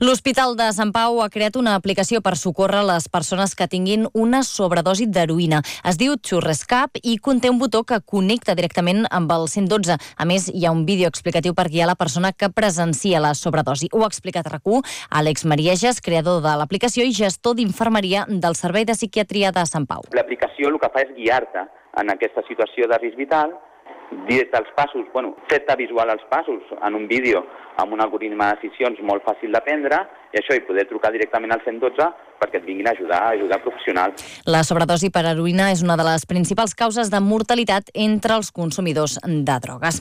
L'Hospital de Sant Pau ha creat una aplicació per socórrer les persones que tinguin una sobredosi d'heroïna. Es diu Xurrescap i conté un botó que connecta directament amb el 112. A més, hi ha un vídeo explicatiu per guiar la persona que presencia la sobredosi. Ho ha explicat a RAC1 Àlex Marieges, creador de l'aplicació i gestor d'infermeria del Servei de Psiquiatria de Sant Pau. L'aplicació el que fa és guiar-te en aquesta situació de risc vital, dir-te els passos, fer-te visual els passos en un vídeo amb un algoritme de decisions molt fàcil d'aprendre i això, i poder trucar directament al 112 perquè et vinguin a ajudar professionals. La sobredosi per heroïna és una de les principals causes de mortalitat entre els consumidors de drogues.